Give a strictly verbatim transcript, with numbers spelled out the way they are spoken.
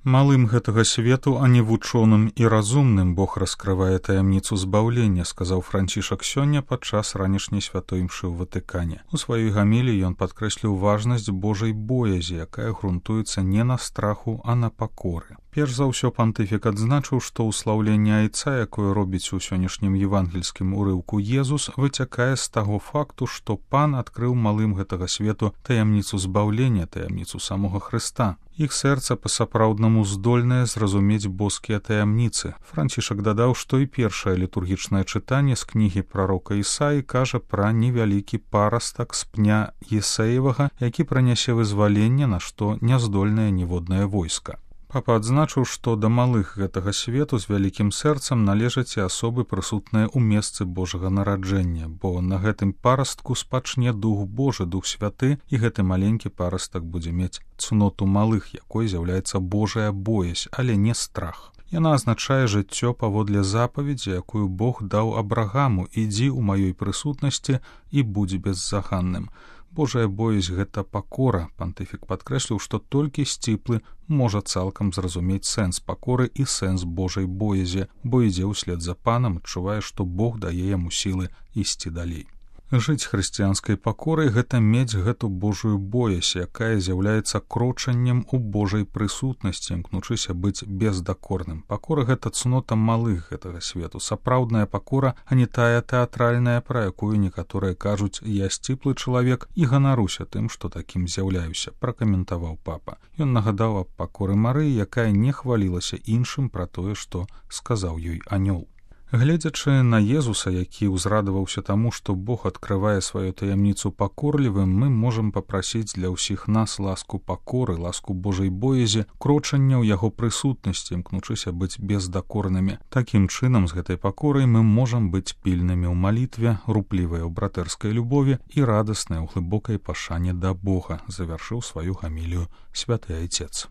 Малым гэтага свету, а не вучоным і разумным Бог раскрывае таямніцу збаўлення, сказаў Францішак сёння падчас ранішняй святой імшы ў Ватыкане. У сваёй гаміліі ён падкрэсліў важнасць Божай боязі, якая грунтуецца не на страху, а на пакоры. Перш за ўсё пантыфік адзначыў, што ўслаўленне айца, якое робіць у сённяшнім евангельскім урыўку Езус, выцякае з таго факту, што Пан адкрыў малым гэтага свету таямніцу збаўлення, таямніцу самога Хрыста. Іх сэрца па-сапраўднаму здольнае зразумець боскія таямніцы. Францішак дадаў, што і першае літургічнае чытанне з кнігі прарока Ісаі кажа пра невялікі парастак з пня Есеевага, які пранясе вызваленне, на што няздольнае ніводнае войска. Папа адзначыў, што да малых гэтага свету з вялікім сэрцам належаць і асобы прысутныя ў месцы Божага нараджэння, бо на гэтым парастку спачне Дух Божы, Дух Святы, і гэты маленькі парастак будзе мець цноту малых, якой з'яўляецца Божая боязь, але не страх. Яна азначае жыццё паводле запаведзі, якую Бог даў Абрагаму: «Ідзі ў маёй прысутнасці і будзь беззаганным». Божая боязь — гэта пакора. Пантыфік падкрэсліў, што толькі сціплы можа цалкам зразумець сэнс пакоры і сэнс Божай боязі, бо ідзе ўслед за Панам, адчувае, што Бог дае яму сілы ісці далей. Жыць хрысціянскай пакорай — гэта мець гэту Божую боязь, якая з'яўляецца крочаннем у Божай прысутнасці, імкнучыся быць бездакорным. Пакора — гэта цнота малых гэтага свету, сапраўдная пакора, а не тая тэатральная, пра якую некаторыя кажуць: «Я сціплы чалавек і ганаруся тым, што такім з'яўляюся», — пракаментаваў папа. Ён нагадаў аб пакоры Марыі, якая не хвалілася іншым пра тое, што сказаў ёй анёл. Гледзячы на Езуса, які ўзрадаваўся таму, што Бог адкрывае сваю таямніцу пакорлівым, мы можам папрасіць для ўсіх нас ласку пакоры, ласку Божай боязі, крочання ў яго прысутнасці, імкнучыся быць бездакорнымі. Такім чынам, з гэтай пакорай мы можам быць пільнымі ў малітве, руплівыя ў братэрскай любові і радасныя ў глыбокай пашане да Бога, завяршыў сваю гамілію святы айцец.